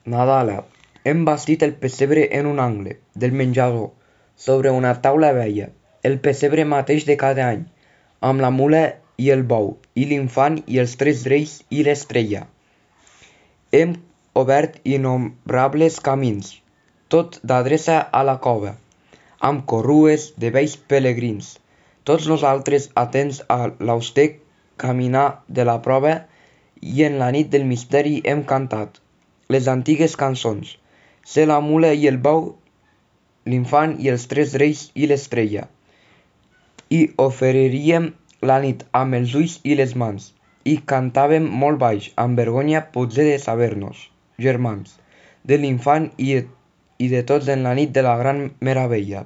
Nadala. Hem bastit el pessebre en un angle del menjador, sobre una taula vella, el pessebre mateix de cada any, amb la mula i el bou, i l'infant i els tres reis i l'estrella. Hem obert innombrables camins, tot d'adreça a la cova, amb corrues de vells pelegrins, tots nosaltres atents a l'auster caminar de la prova, i en la nit del misteri hem cantat les antigues cançons, ser la mula i el bou, l'infant i els tres reis i l'estrella. I oferiríem la nit amb els ulls i les mans, i cantàvem molt baix, amb vergonya potser de saber-nos germans, de l'infant i de tots en la nit de la gran meravella.